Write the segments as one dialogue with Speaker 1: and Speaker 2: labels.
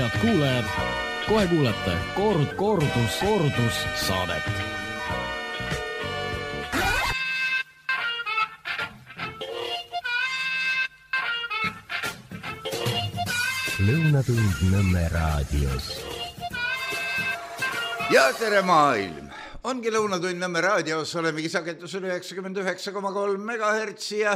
Speaker 1: Head kuulajad, kohe kuulete kordus saadet.
Speaker 2: Lõunatund Nõmme raadios.
Speaker 3: Ja tere maailm! Ongi Lõunatund Nõmme raadios, olemegi sagedusel 99,3 MHz ja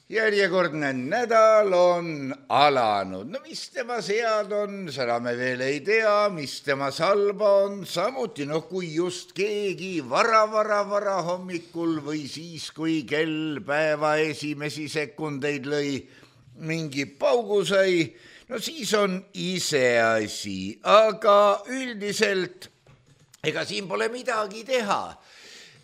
Speaker 3: järjekordne nädal on alanud. No mis tema sead on, seda me veel ei tea, mis tema salba on. Samuti, kui just keegi vara hommikul või siis, kui kell päeva esimesi sekundeid lõi, mingi paugu sai, no siis on iseasi, aga üldiselt ega siin pole midagi teha.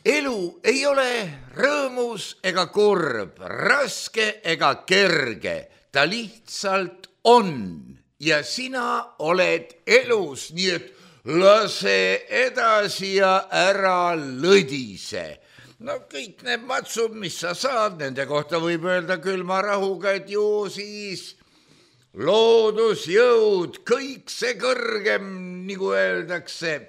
Speaker 3: Elu ei ole rõõmus ega kurb, raske ega kerge, ta lihtsalt on ja sina oled elus, nii et lase edasi ja ära lõdise. No kõik need matsud, mis sa saad, nende kohta võib öelda külma rahuga, et ju siis loodusjõud, kõik see kõrgem, nagu öeldakse,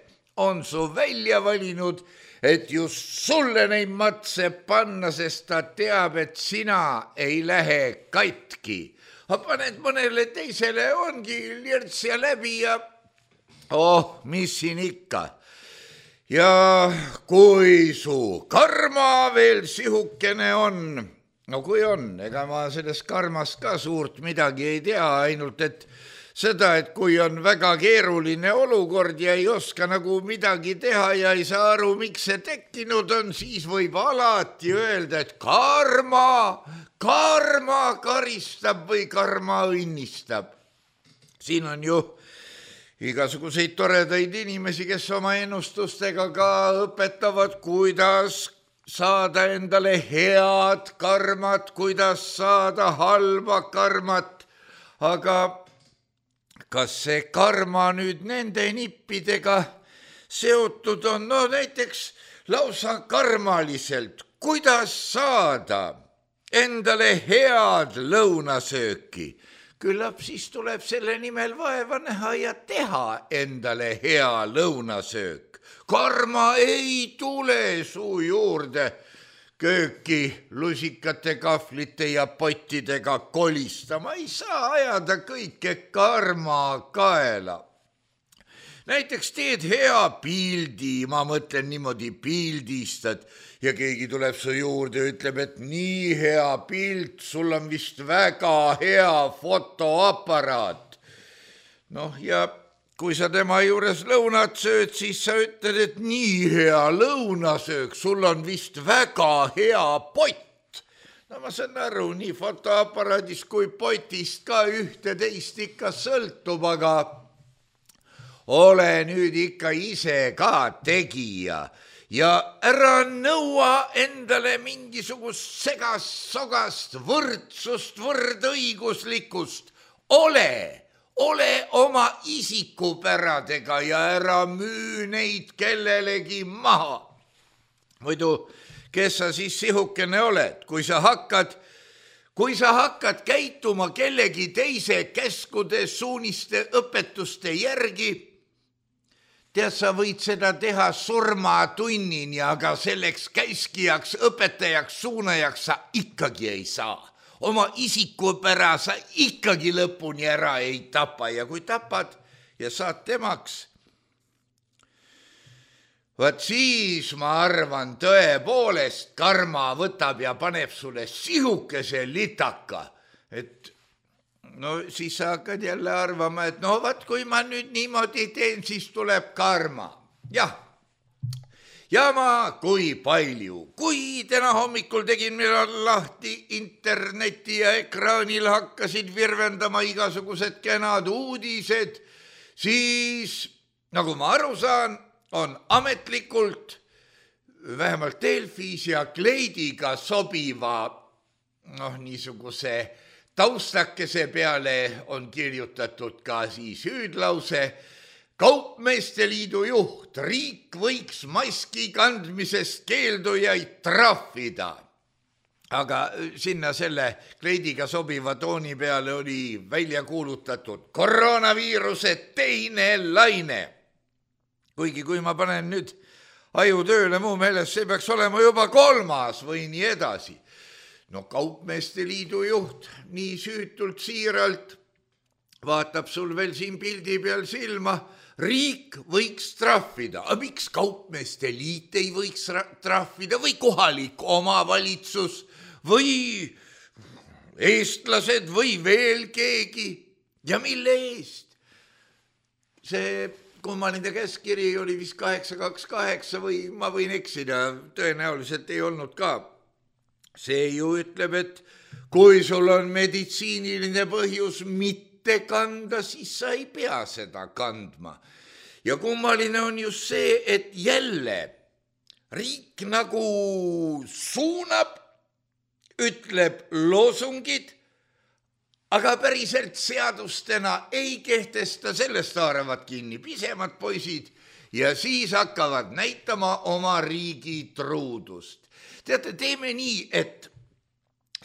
Speaker 3: on su välja valinud, et just sulle neid matse panna, sest ta teab, et sina ei lähe katki. Paned mõnele teisele, ongi lirts ja läbi ja mis siin ikka. Ja kui su karma veel sihukene on, no kui on, ega ma sellest karmast ka suurt midagi ei tea, ainult et seda, et kui on väga keeruline olukord ja ei oska nagu midagi teha ja ei saa aru, miks see tekkinud on, siis võib alati öelda, et karma karistab või karma õnnistab. Siin on ju igasuguseid toredaid inimesi, kes oma ennustustega ka õpetavad, kuidas saada endale head karmat, kuidas saada halba karmat, aga kas see karma nüüd nende nippidega seotud on? No näiteks lausa karmaliselt, kuidas saada endale head lõunasööki. Küllap siis tuleb selle nimel vaeva näha ja teha endale hea lõunasöök. Karma ei tule su juurde kööki lusikate, kahvlite ja pottidega kolistama. Ei saa ajada kõike karma kaela. Näiteks teed hea pildi, ma mõtlen niimoodi pildistad ja keegi tuleb su juurde ja ütleb, et nii hea pilt, sul on vist väga hea fotoaparaat. Ja kui sa tema juures lõunat sööd, siis sa ütled, et nii hea lõunasöök, sul on vist väga hea pott. No ma saan aru, nii fotoaparaadist kui potist ka ühte-teist ikka sõltub, aga ole nüüd ikka ise ka tegija ja ära nõua endale mingisugust segast-sogast võrdsust, võrdõiguslikkust. Ole oma isikupäradega ja ära müü neid kellelegi maha. Muidu, kes sa siis sihukene oled, kui sa hakkad käituma kellegi teise käskude, suuniste, õpetuste järgi, tead, sa võid seda teha surmatunnini, aga selleks käskijaks, õpetajaks, suunajaks sa ikkagi ei saa. Oma isikupära sa ikkagi lõpuni ära ei tapa ja kui tapad ja saad temaks, vaat siis ma arvan tõepoolest karma võtab ja paneb sulle sihukese litaka, et siis sa hakkad jälle arvama, et vaat kui ma nüüd niimoodi teen, siis tuleb karma. Jah, ja ma kui palju, kui täna hommikul tegin lahti interneti ja ekraanil hakkasid virvendama igasugused kenad uudised, siis nagu ma aru saan, on ametlikult vähemalt Delfis ja Kleidiga sobiva niisuguse taustakese peale on kirjutatud ka siis hüüdlause Kaupmeeste Liidu juht, riik võiks maski kandmisest keeldujaid trahvida. aga sinna selle kleidiga sobiva tooni peale oli välja kuulutatud koroonaviiruse teine laine. Kuigi kui ma panen nüüd aju tööle mu meelest, see peaks olema juba 3. või nii edasi. No Kaupmeeste Liidu juht nii süütult siiralt vaatab sul veel siin pildi peal silma, riik võiks trahvida. Aga miks Kaupmeeste Liit ei võiks trahvida või kohalik omavalitsus või eestlased või veel keegi ja mille eest? See kummaline käskiri oli vist 828 või ma võin eksida, tõenäoliselt ei olnud ka. See ju ütleb, et kui sul on meditsiiniline põhjus mitte kanda, siis sa ei pea seda kandma. Ja kummaline on just see, et jälle riik nagu suunab, ütleb loosungid, aga päriselt seadustena ei kehtesta, sellest haaravad kinni pisemad poisid ja siis hakkavad näitama oma riigi truudust. Teate, teeme nii, et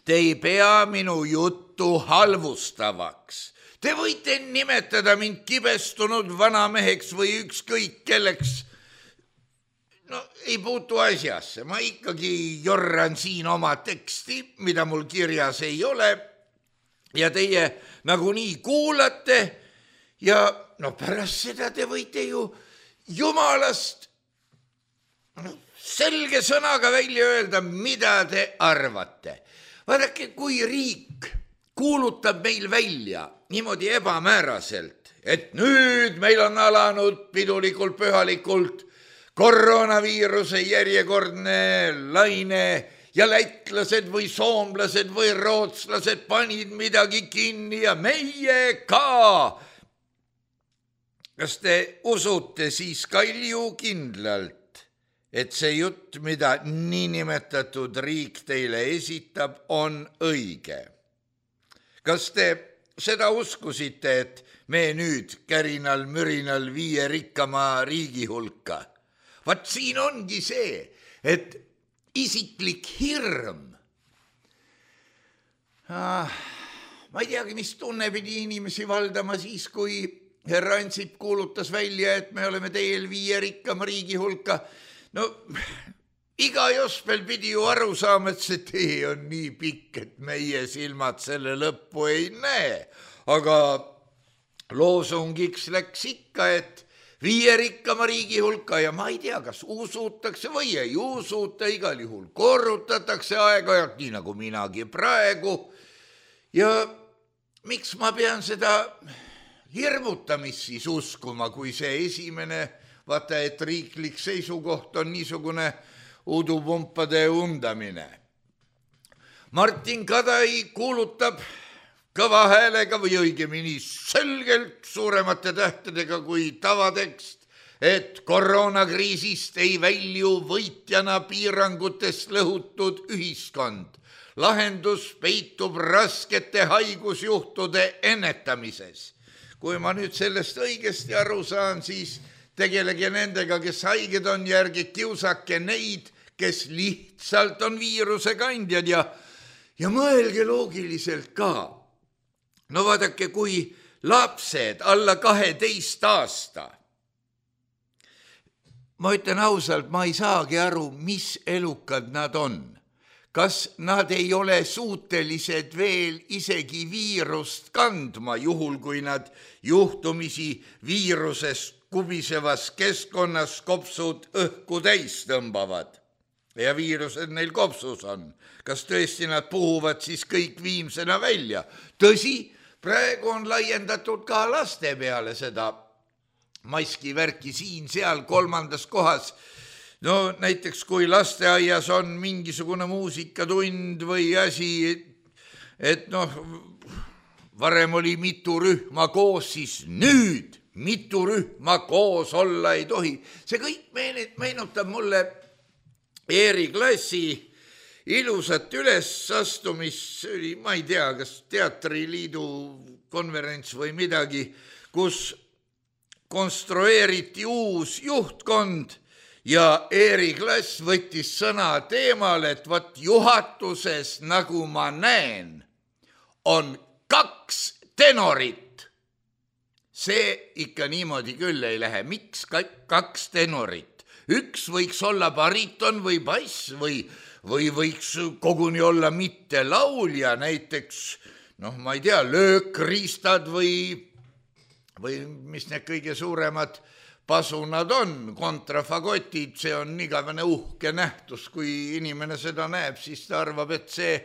Speaker 3: te ei pea minu juttu halvustavaks. Te võite nimetada mind kibestunud vanameheks või ükskõik kelleks. No ei puutu asjasse, ma ikkagi jorran siin oma teksti, mida mul kirjas ei ole. Ja teie nagunii kuulate ja no pärast seda te võite ju jumalast selge sõnaga välja öelda, mida te arvate. Vaadake, kui riik kuulutab meil välja niimoodi ebamääraselt, et nüüd meil on alanud pidulikult pühalikult koroonaviiruse järjekordne laine ja lätlased või soomlased või rootslased panid midagi kinni ja meie ka. Kas te usute siis Kalju kindlalt, et see jutt, mida niinimetatud riik teile esitab, on õige? Kas te seda uskusite, et me nüüd kärinal-mürinal 5 rikkama riigi hulka? Vaat siin ongi see, et isiklik hirm. Ma ei teagi, mis tunne pidi inimesi valdama siis, kui härra Ansip kuulutas välja, et me oleme teel 5 rikkama riigi hulka. No iga jospel pidi ju aru saama, et see tee on nii pikk, et meie silmad selle lõppu ei näe. Aga loosungiks läks ikka, et 5 rikkama riigi hulka ja ma ei tea, kas usutakse või ei usuta, igal juhul korrutatakse aeg-ajalt, nii nagu minagi praegu. Ja miks ma pean seda hirmutamist siis uskuma, kui see esimene, vaata, et riiklik seisukoht on niisugune udupumpade undamine. Martin Kadai kuulutab kõva häälega või õigemini selgelt suuremate tähtedega kui tavatekst, et koroonakriisist ei välju võitjana piirangutest lõhutud ühiskond. Lahendus peitub raskete haigusjuhtude ennetamises. Kui ma nüüd sellest õigesti aru saan, siis tegelege nendega, kes haiged on, järgi kiusake neid, kes lihtsalt on viiruse kandjad ja mõelge loogiliselt ka. No vaadake, kui lapsed alla 12 aasta, ma ütlen ausalt, ma ei saagi aru, mis elukad nad on. Kas nad ei ole suutelised veel isegi viirust kandma, juhul kui nad juhtumisi viirusest kubisevas keskkonnas kopsud õhku täis tõmbavad ja viirused neil kopsus on. Kas tõesti nad puhuvad siis kõik viimsena välja? Tõsi, praegu on laiendatud ka laste peale seda maskivärki siin-seal 3. kohas. No näiteks kui lasteaias on mingisugune muusikatund või asi, et varem oli mitu rühma koos, siis nüüd mitu rühma koos olla ei tohi. See kõik meenutab mulle Eeri Klassi ilusat ülesastumist, ma ei tea, kas teatriliidu konverents või midagi, kus konstrueeriti uus juhtkond ja Erik Lass võttis sõna teemal, et vot juhatuses, nagu ma näen, on 2 tenorit. See ikka niimoodi küll ei lähe. Miks 2 tenorit? Üks võiks olla bariton või bass või võiks koguni olla mitte laulja, näiteks, ma ei tea, löökriistad või mis need kõige suuremad pasunad on, kontrafagotid, see on igavene uhke nähtus, kui inimene seda näeb, siis ta arvab, et see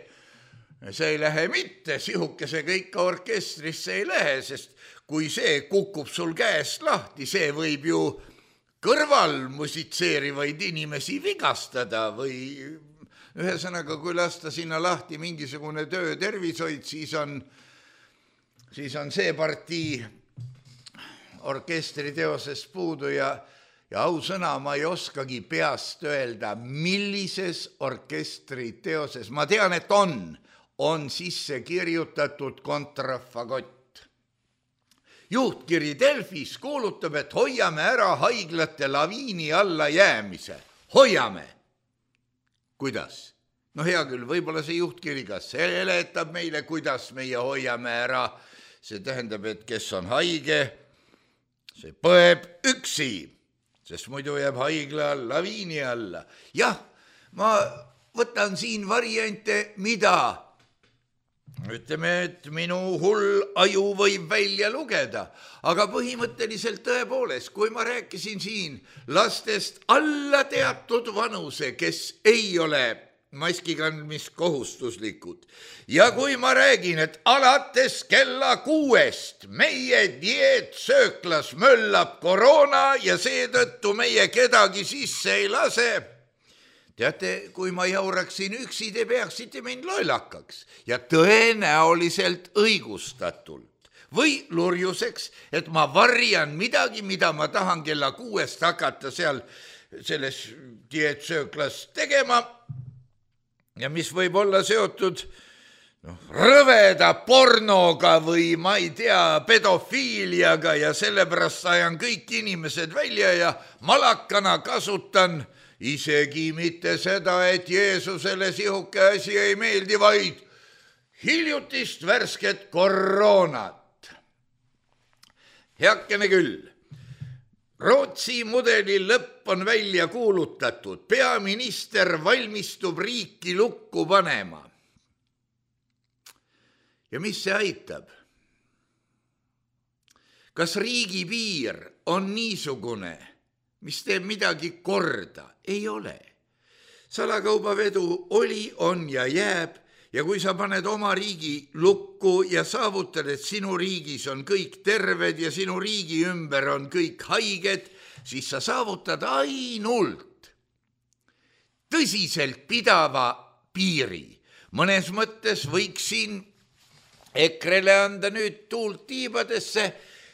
Speaker 3: ei lähe mitte, sihukesega ikka orkestrisse ei lähe, sest kui see kukub sul käest lahti, see võib ju kõrval musitseerivaid inimesi vigastada või ühesõnaga, kui lasta sinna lahti mingisugune töötervishoid, siis on see partii orkestriteoses puudu ja ausõna, ma ei oskagi peast öelda, millises orkestriteoses. Ma tean, et on sisse kirjutatud kontrafagott. Juhtkiri Delfis kuulutab, et hoiame ära haiglate laviini alla jäämise. Hoiame. Kuidas? Hea küll, võib-olla see juhtkiri ka seletab meile, kuidas meie hoiame ära. See tähendab, et kes on haige, see põeb üksi, sest muidu jääb haigla laviini alla. Jah, ma võtan siin variante, mida? Ütleme, et minu hull aju võib välja lugeda, aga põhimõtteliselt tõepoolest, kui ma rääkisin siin lastest alla teatud vanuse, kes ei ole maski kandmist kohustuslikud, ja kui ma räägin, et alates kella 6 meie dieetsööklas möllab koroona ja seetõttu meie kedagi sisse ei lase, teate, kui ma jauraksin üksi, te peaksite mind lollakaks ja tõenäoliselt õigustatult või lurjuseks, et ma varjan midagi, mida ma tahan kella 6 hakata seal selles dieetsööklas tegema ja mis võib olla seotud rõveda pornoga või ma ei tea, pedofiiliaga ja sellepärast ajan kõik inimesed välja ja malakana kasutan isegi mitte seda, et Jeesusele sihuke asi ei meeldi, vaid hiljutist värsket koroonat. Heakene küll. Rootsi mudeli lõpp on välja kuulutatud. Peaminister valmistub riiki lukku panema. Ja mis see aitab? Kas riigipiir on niisugune, mis teeb midagi korda? Ei ole. Salakaubavedu oli, on ja jääb ja kui sa paned oma riigi lukku ja saavutad, et sinu riigis on kõik terved ja sinu riigi ümber on kõik haiged, siis sa saavutad ainult tõsiselt pidava piiri. Mõnes mõttes võiks siin EKRE-le anda nüüd tuult tiibadesse,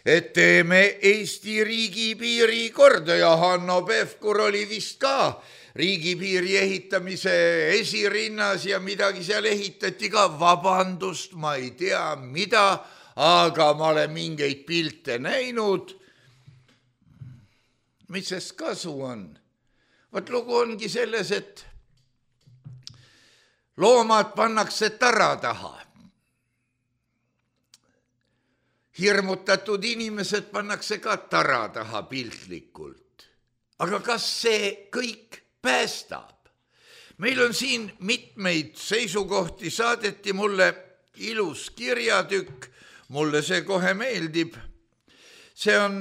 Speaker 3: et teeme Eesti riigipiiri korda ja Hanno Pevkur oli vist ka riigipiiri ehitamise esirinnas ja midagi seal ehitati ka, vabandust, ma ei tea mida, aga ma olen mingeid pilte näinud. Mis sest kasu on? Vot lugu ongi selles, et loomad pannakse tara taha. Hirmutatud inimesed pannakse ka tara taha piltlikult. Aga kas see kõik päästab? Meil on siin mitmeid seisukohti, saadeti mulle ilus kirjatükk, mulle see kohe meeldib. See on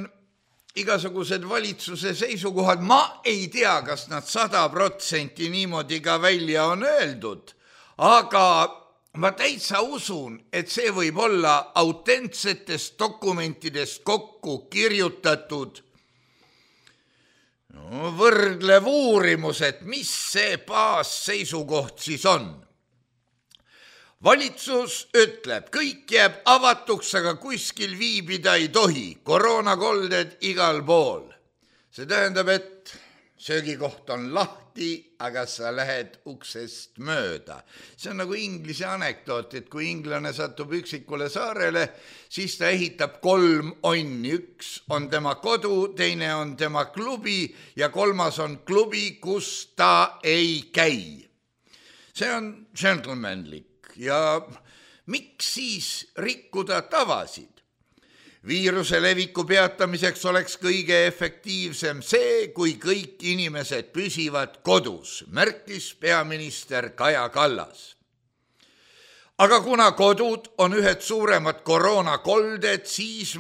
Speaker 3: igasugused valitsuse seisukohad, ma ei tea, kas nad 100% niimoodi ka välja on öeldud, aga ma täitsa usun, et see võib olla autentsetest dokumentidest kokku kirjutatud võrdlev uurimus, et mis see baasseisukoht siis on. Valitsus ütleb, kõik jääb avatuks, aga kuskil viibida ei tohi, koroonakolded igal pool. See tähendab, et söögikoht on lahti, aga sa lähed uksest mööda. See on nagu Inglise anekdoot, et kui inglane satub üksikule saarele, siis ta ehitab 3 onni. 1 on tema kodu, teine on tema klubi ja 3. on klubi, kus ta ei käi. See on gentlemanlik ja miks siis rikkuda tavasid? Viiruse leviku peatamiseks oleks kõige efektiivsem see, kui kõik inimesed püsivad kodus, märkis peaminister Kaja Kallas. Aga kuna kodud on ühed suuremad koroonakolded, siis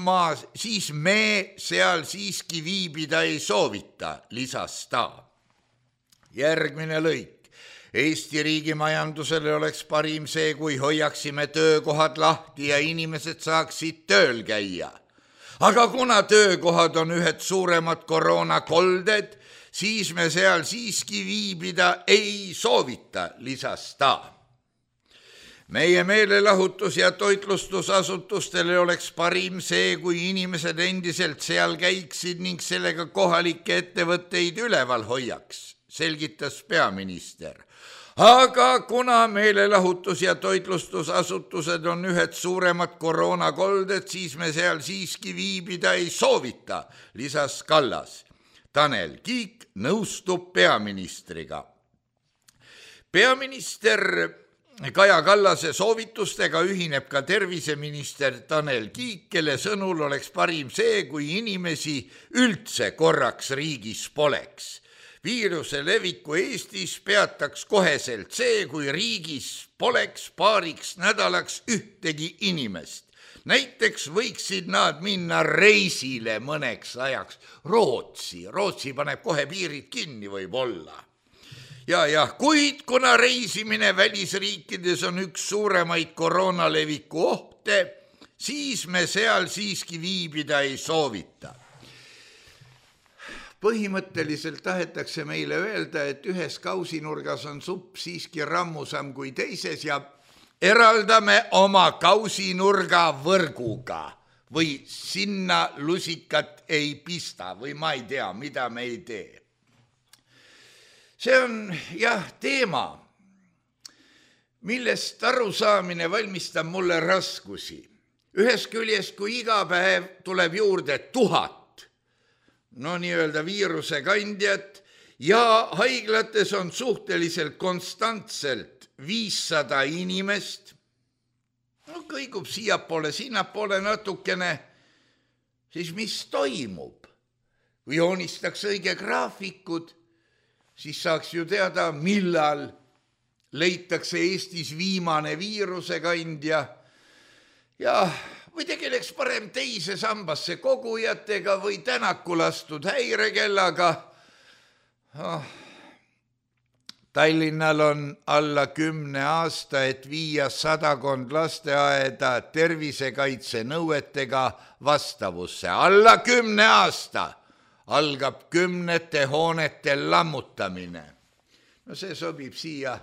Speaker 3: me seal siiski viibida ei soovita, lisas ta. Järgmine lõik. Eesti riigi majandusele oleks parim see, kui hoiaksime töökohad lahti ja inimesed saaksid tööl käia. Aga kuna töökohad on ühed suuremad koroonakolded, siis me seal siiski viibida ei soovita, lisas ta. Meie meelelahutus- ja toitlustusasutustele oleks parim see, kui inimesed endiselt seal käiksid ning sellega kohalikke ettevõtteid üleval hoiaks, selgitas peaminister. Aga kuna meelelahutus- ja toitlustusasutused on ühed suuremad koroonakolded, siis me seal siiski viibida ei soovita, lisas Kallas. Tanel Kiik nõustub peaministriga. Peaminister Kaja Kallase soovitustega ühineb ka terviseminister Tanel Kiik, kelle sõnul oleks parim see, kui inimesi üldse korraks riigis poleks. Viiruse leviku Eestis peataks koheselt see, kui riigis poleks paariks nädalaks ühtegi inimest. Näiteks võiksid nad minna reisile mõneks ajaks Rootsi. Rootsi paneb kohe piirid kinni võib-olla. Ja, kuid kuna reisimine välisriikides on üks suuremaid koroonaleviku ohte, siis me seal siiski viibida ei soovita. Põhimõtteliselt tahetakse meile öelda, et ühes kausinurgas on supp siiski rammusam kui teises ja eraldame oma kausinurga võrguga või sinna lusikat ei pista või ma ei tea, mida me ei tee. See on teema, millest arusaamine valmistab mulle raskusi. Ühest küljest, kui iga päev tuleb juurde 1000, nii-öelda viiruse kandjat ja haiglates on suhteliselt konstantselt 500 inimest, kõigub siiapoole, sinnapoole natukene, siis mis toimub? Kui joonistaks õige graafikud, siis saaks ju teada, millal leitakse Eestis viimane viiruse kandja ja või tegeleks parem teise sambasse kogujatega või tänaku lastud häirekellaga. Tallinnal on alla 10 aasta, et viia 100 lasteaeda tervisekaitse nõuetega vastavusse. Alla 10 aasta algab 10 hoonete lammutamine. See sobib siia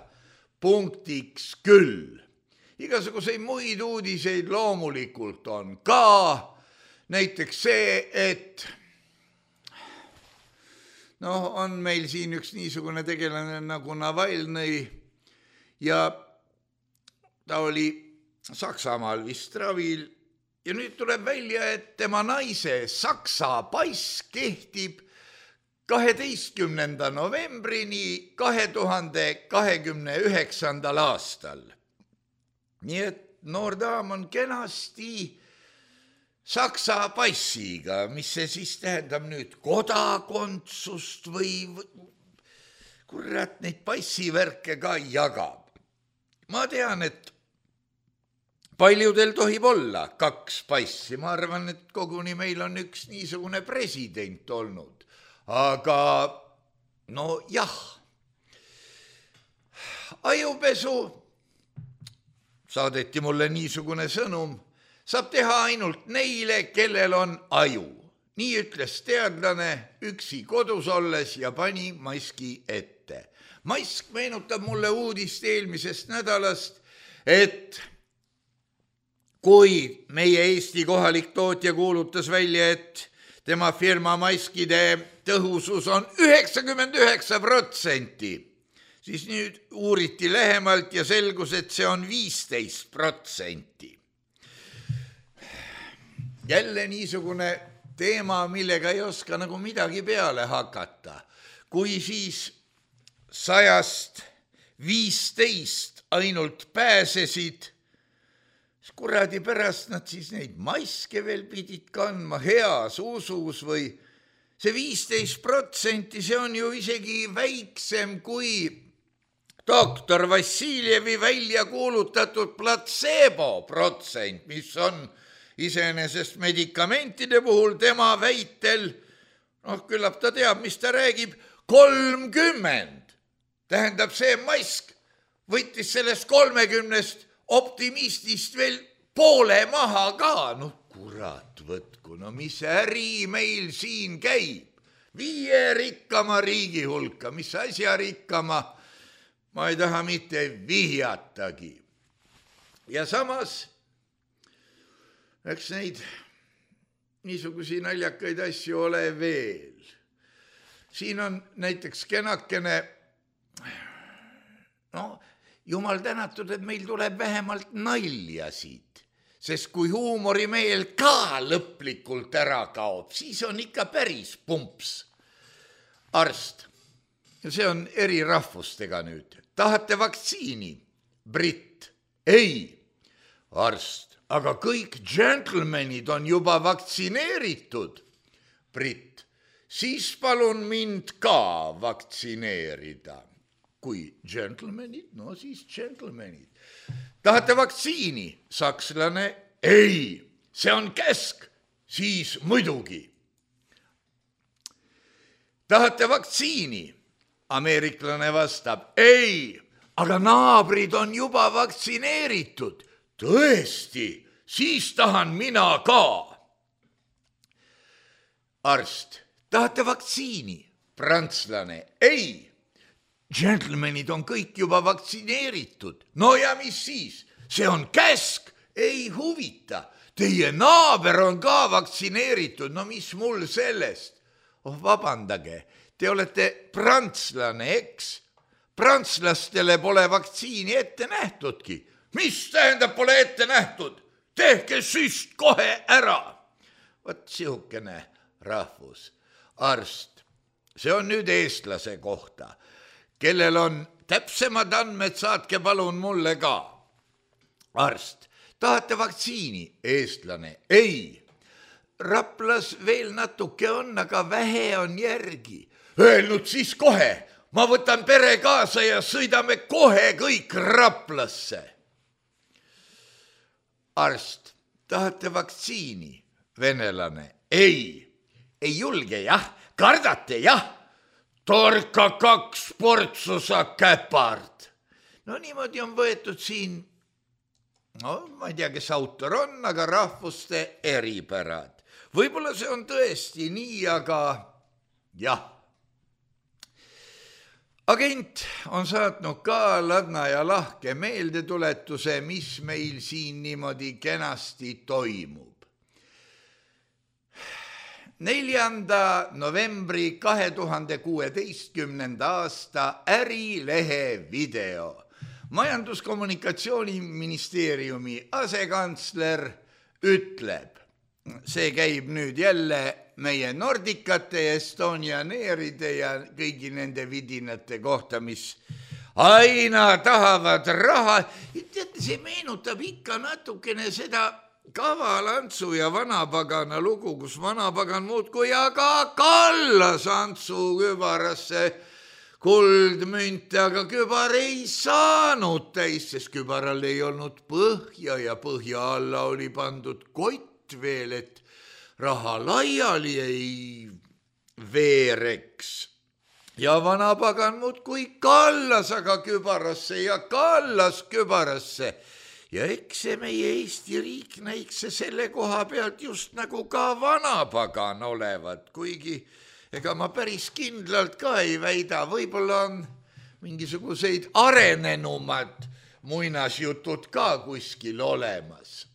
Speaker 3: punktiks küll. Igasuguseid muid uudiseid loomulikult on ka, näiteks see, et on meil siin üks niisugune tegelane nagu Navalnõi ja ta oli Saksamaal vist ravil ja nüüd tuleb välja, et tema naise Saksa pass kehtib 12. novembrini 2029. aastal. Nii et noor daam on kenasti Saksa passiga, mis see siis tähendab nüüd kodakondsust või kurat neid passivärke ka jagab. Ma tean, et paljudel tohib olla 2 passi, ma arvan, et koguni meil on üks niisugune president olnud, aga ajupesu saadeti mulle niisugune sõnum, saab teha ainult neile, kellel on aju. Nii ütles teadlane üksi kodus olles ja pani maski ette. Mask meenutab mulle uudist eelmisest nädalast, et kui meie Eesti kohalik tootja kuulutas välja, et tema firma maskide tõhusus on 99%. Siis nüüd uuriti lähemalt ja selgus, et see on 15%. Jälle niisugune teema, millega ei oska nagu midagi peale hakata. Kui siis 100-st 15 ainult pääsesid, siis kuradi pärast nad siis neid maske veel pidid kandma heas usus või see 15%, see on ju isegi väiksem kui doktor Vassiljevi välja kuulutatud placebo protsent, mis on iseenesest medikamentide puhul tema väitel, küllap ta teab, mis ta räägib, 30. Tähendab, see mask võttis sellest 30 optimistist veel poole maha ka. Kurat võtku, mis äri meil siin käib. 5 rikkama riigi hulka, mis asja rikkama, ma ei taha mitte vihjatagi. Ja samas, eks neid niisugusi naljakaid asju ole veel. Siin on näiteks kenakene, jumal tänatud, et meil tuleb vähemalt naljasid, sest kui huumorimeel ka lõplikult ära kaob, siis on ikka päris pumps. Arst, ja see on eri rahvustega nüüd, tahate vaktsiini? Britt, ei. Arst, aga kõik džentlmenid on juba vaktsineeritud. Britt, siis palun mind ka vaktsineerida. Kui džentlmenid, siis džentlmenid. Tahate vaktsiini? Sakslane, ei, see on käsk, siis muidugi. Tahate vaktsiini? Ameeriklane vastab, ei, aga naabrid on juba vaktsineeritud. Tõesti, siis tahan mina ka. Arst, tahate vaktsiini? Prantslane, ei. Džentlmenid on kõik juba vaktsineeritud. No ja mis siis? See on käsk, ei huvita. Teie naaber on ka vaktsineeritud, no mis mul sellest? Vabandage, te olete prantslane, eks? Prantslastele pole vaktsiini ette nähtudki. Mis tähendab pole ette nähtud? Tehke süst kohe ära. Vot sihukene rahvus. Arst, see on nüüd eestlase kohta. Kellel on täpsemad andmed, saatke palun mulle ka. Arst, tahate vaktsiini? Eestlane, ei. Raplas veel natuke on, aga vähe on järgi. Öelnud siis kohe, ma võtan pere kaasa ja sõidame kohe kõik Raplasse. Arst, tahate vaktsiini? Venelane, ei. Ei julge, jah? Kardate, jah? Torka 2 portsu sa käpard. No niimoodi on võetud siin, ma ei tea, kes autor on, aga rahvuste eripärad. Võib-olla see on tõesti nii, aga jah. Agent on saatnud ka ladna ja lahke meeldetuletuse, mis meil siin niimoodi kenasti toimub. 4. novembri 2016. aasta Ärilehe video. Majandus-kommunikatsiooniministeeriumi asekantsler ütleb, see käib nüüd jälle meie Nordicate ja Estonianeeride ja kõigi nende vidinate kohta, mis aina tahavad raha. Teate, see meenutab ikka natukene seda Kavalantsu ja vanapagana lugu, kus vanapagan muudkui aga kallas Antsu kübarasse kuldmünte, aga kübar ei saanud täis, sest kübaral ei olnud põhja ja põhja alla oli pandud kott veel, et raha laiali ei veereks. Ja vanapagan muudkui kallas aga kübarasse ja kallas kübarasse. Ja eks see meie Eesti riik näiks selle koha pealt just nagu ka vanapagan olevat, kuigi ega ma päris kindlalt ka ei väida, võib-olla on mingisuguseid arenenumad muinasjutud ka kuskil olemas.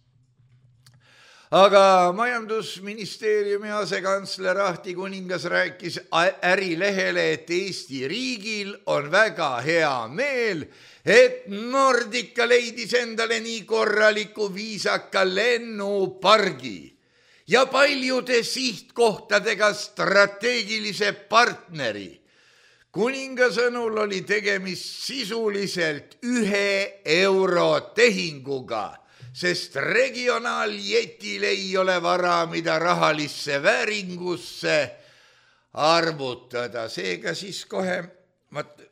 Speaker 3: aga majandusministeeriumi asekantsler Ahti Kuningas rääkis Ärilehele, et Eesti riigil on väga hea meel, et Nordica leidis endale nii korraliku viisaka lennupargi ja paljude sihtkohtadega strateegilise partneri. Kuninga sõnul oli tegemist sisuliselt 1 euro tehinguga, sest regionaaljetil ei ole vara, mida rahalisse vääringusse arvutada. Seega siis kohe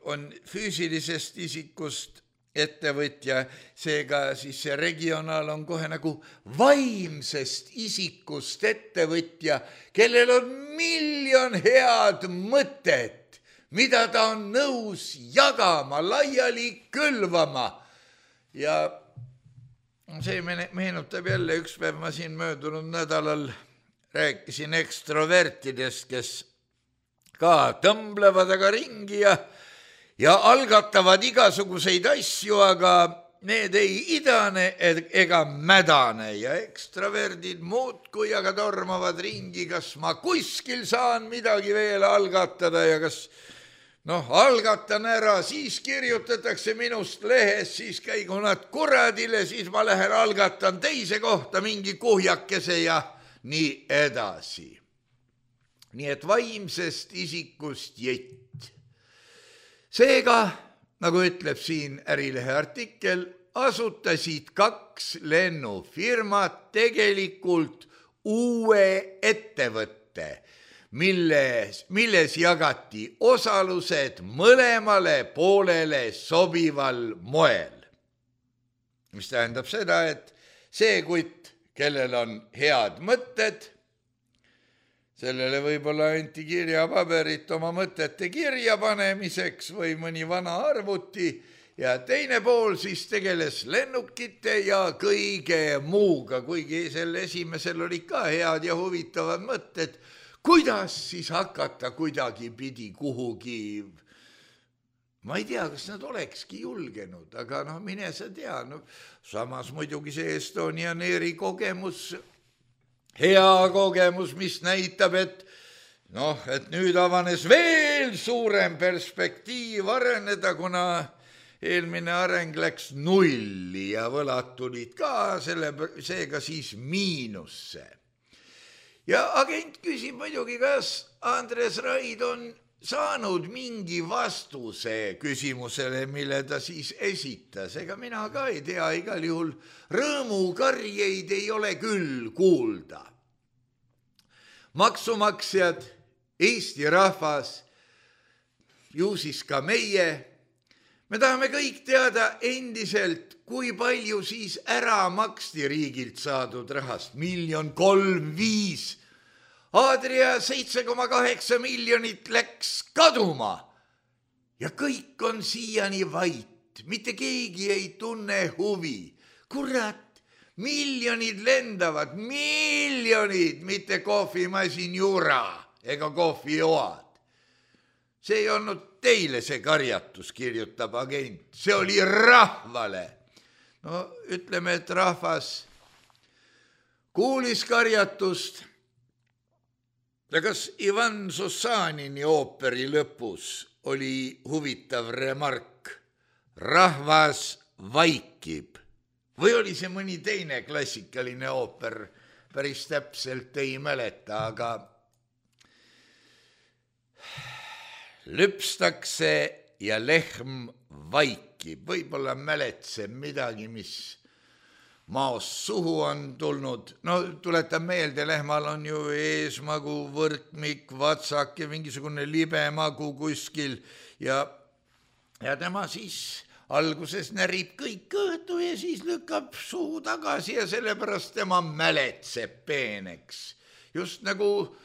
Speaker 3: on füüsilisest isikust ettevõtja, seega siis see regionaal on kohe nagu vaimsest isikust ettevõtja, kellel on 1 000 000 head mõtet, mida ta on nõus jagama, laiali külvama. Ja see meenutab jälle, üks päev ma siin möödunud nädalal rääkisin ekstrovertidest, kes ka tõmblevad aga ringi ja algatavad igasuguseid asju, aga need ei idane ega mädane ja ekstraverdid muudkui aga tormavad ringi, kas ma kuskil saan midagi veel algatada ja kas algatan ära, siis kirjutatakse minust lehes, siis käigu nad kuradile, siis ma lähen algatan teise kohta mingi kuhjakese ja nii edasi. Nii et vaimsest isikust jett. Seega, nagu ütleb siin Ärilehe artikkel, asutasid 2 lennufirmat tegelikult uue ettevõtte, milles jagati osalused mõlemale poolele sobival moel. Mis tähendab seda, et see kutt, kellel on head mõtted, sellele võib-olla anti kirjapaberit oma mõtete kirjapanemiseks või mõni vana arvuti ja teine pool siis tegeles lennukite ja kõige muuga, kuigi selle esimesel oli ka head ja huvitavad mõtted, kuidas siis hakata kuidagi pidi kuhugi, ma ei tea, kas nad olekski julgenud, aga mine sa tea, samas muidugi see Estonian Airi kogemus, hea kogemus, mis näitab, et nüüd avanes veel suurem perspektiiv areneda, kuna eelmine areng läks nulli ja võlad tulid ka seega siis miinusse. Ja agent küsib muidugi, kas Andres Raid on saanud mingi vastuse küsimusele, mille ta siis esitas. Ega mina ka ei tea, igal juhul rõõmukarjeid ei ole küll kuulda. Maksumaksjad, Eesti rahvas, ju siis ka meie, me tahame kõik teada endiselt, kui palju siis ära maksti riigilt saadud rahast. 1 305 000. Adria 7,8 miljonit läks kaduma ja kõik on siiani vait. Mitte keegi ei tunne huvi. Kurat, miljonid lendavad, miljonid, mitte kohvimasin jura ega kohvioad. See ei olnud teile see karjatus, kirjutab agent. See oli rahvale. Ütleme, et rahvas kuulis karjatust. Ja kas Ivan Sussanini ooperi lõpus oli huvitav remark? Rahvas vaikib. Või oli see mõni teine klassikaline ooper? Päris täpselt ei mäleta, aga lüpstakse ja lehm vaikib. Võib-olla mäletseb midagi, mis maost suhu on tulnud. Tuletan meelde, lehmal on ju eesmagu, võrkmik, vatsak ja mingisugune libemagu kuskil ja tema siis alguses närib kõik kõhtu ja siis lükkab suu tagasi ja sellepärast tema mäletseb peeneks. Just nagu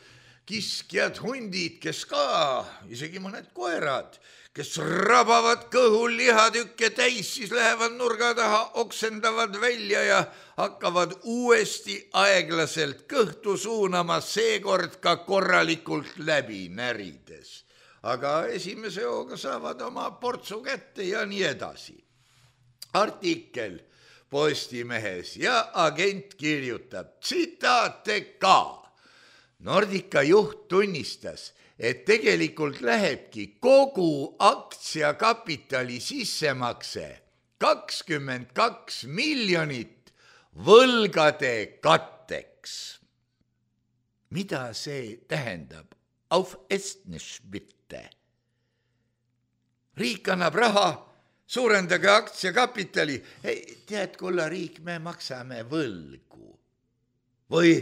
Speaker 3: kiskjad, hundid, kes ka, isegi mõned koerad, kes rabavad kõhul lihatükke täis, siis lähevad nurga taha, oksendavad välja ja hakkavad uuesti aeglaselt kõhtu suunama, seekord ka korralikult läbi närides. Aga esimese hooga saavad oma portsu kätte ja nii edasi. Artikkel Postimehes ja agent kirjutab tsitaate ka. Nordica juht tunnistas, et tegelikult lähebki kogu aktsiakapitali sissemakse 22 miljonit võlgade katteks. Mida see tähendab? Auf Estnisch bitte. Riik annab raha, suurendage aktsiakapitali. Tead, kulla riik, me maksame võlgu. Või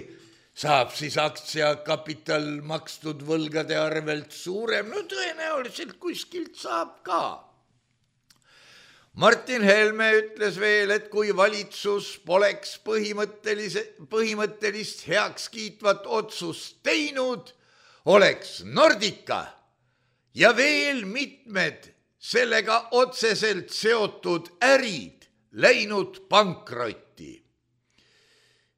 Speaker 3: saab siis aktsiakapital makstud võlgade arvelt suurem? No tõenäoliselt kuskilt saab ka. Martin Helme ütles veel, et kui valitsus poleks põhimõttelist heakskiitvat otsust teinud, oleks Nordica ja veel mitmed sellega otseselt seotud ärid läinud pankrotti.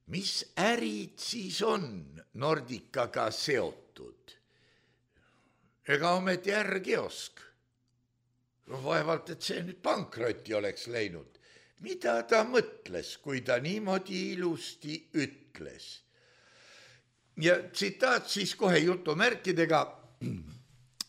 Speaker 3: Mis ärid siis on Nordicaga seotud? Ega ometi ärkiosk. Vaevalt, et see nüüd pankrotti oleks läinud. Mida ta mõtles, kui ta niimoodi ilusti ütles? Ja tsitaat siis kohe jutumärkidega.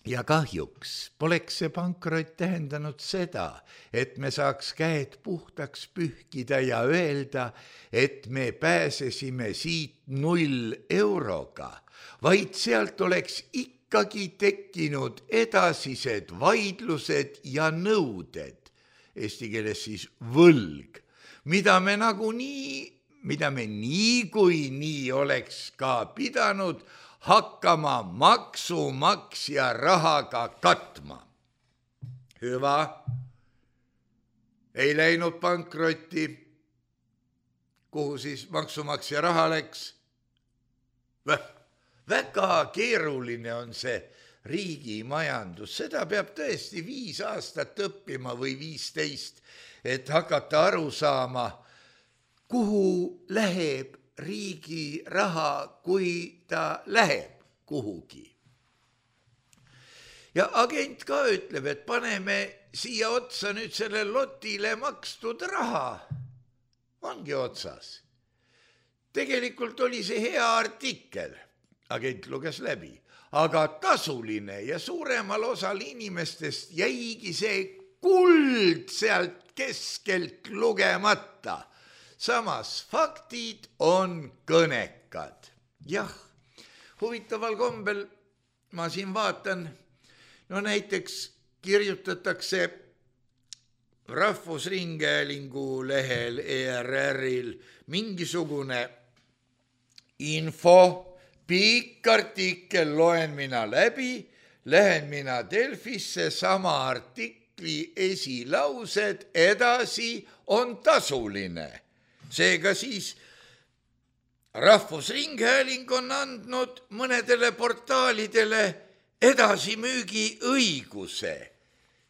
Speaker 3: Ja kahjuks poleks see pankrott tähendanud seda, et me saaks käed puhtaks pühkida ja öelda, et me pääsesime siit 0 euroga, vaid sealt oleks ikkagi tekkinud edasised vaidlused ja nõuded, eesti keeles siis võlg, mida me niikuinii oleks ka pidanud hakkama maksumaksja rahaga katma. Hüva, ei läinud pankrotti, kuhu siis maksumaksja raha läks? Väga keeruline on see riigi majandus, seda peab tõesti 5 aastat õppima või 15, et hakata aru saama, kuhu läheb riigi raha, kui ta läheb kuhugi. Ja agent ka ütleb, et paneme siia otsa nüüd selle lotile makstud raha. Ongi otsas. Tegelikult oli see hea artikkel. Agent luges läbi, aga tasuline ja suuremal osal inimestest jäigi see kuld sealt keskelt lugemata. Samas faktid on kõnekad. Jah, huvitaval kombel ma siin vaatan, no näiteks kirjutatakse Rahvusringhäälingu lehel ERR-il mingisugune info, pikk artikkel, loen mina läbi, lähen mina Delfisse, sama artikli esilaused, edasi on tasuline. Seega siis Rahvusringhääling on andnud mõnedele portaalidele edasimüügi õiguse.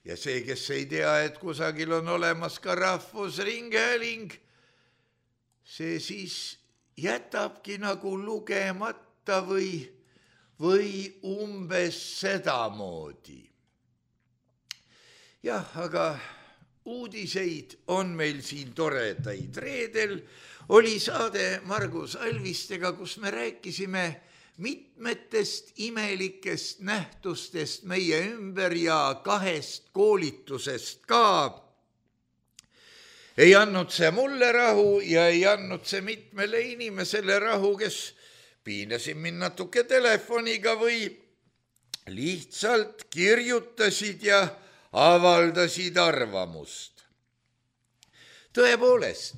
Speaker 3: Ja see, kes ei tea, et kusagil on olemas ka Rahvusringhääling, see siis jätabki nagu lugemata või umbes sedamoodi. Jah, aga uudiseid on meil siin toredaid. Reedel oli saade Margus Alvistega, kus me rääkisime mitmetest imelikest nähtustest meie ümber ja 2 koolitusest ka. Ei andnud see mulle rahu ja ei andnud see mitmele inimesele rahu, kes piinasid mind natuke telefoniga või lihtsalt kirjutasid ja avaldasid arvamust. Tõepoolest,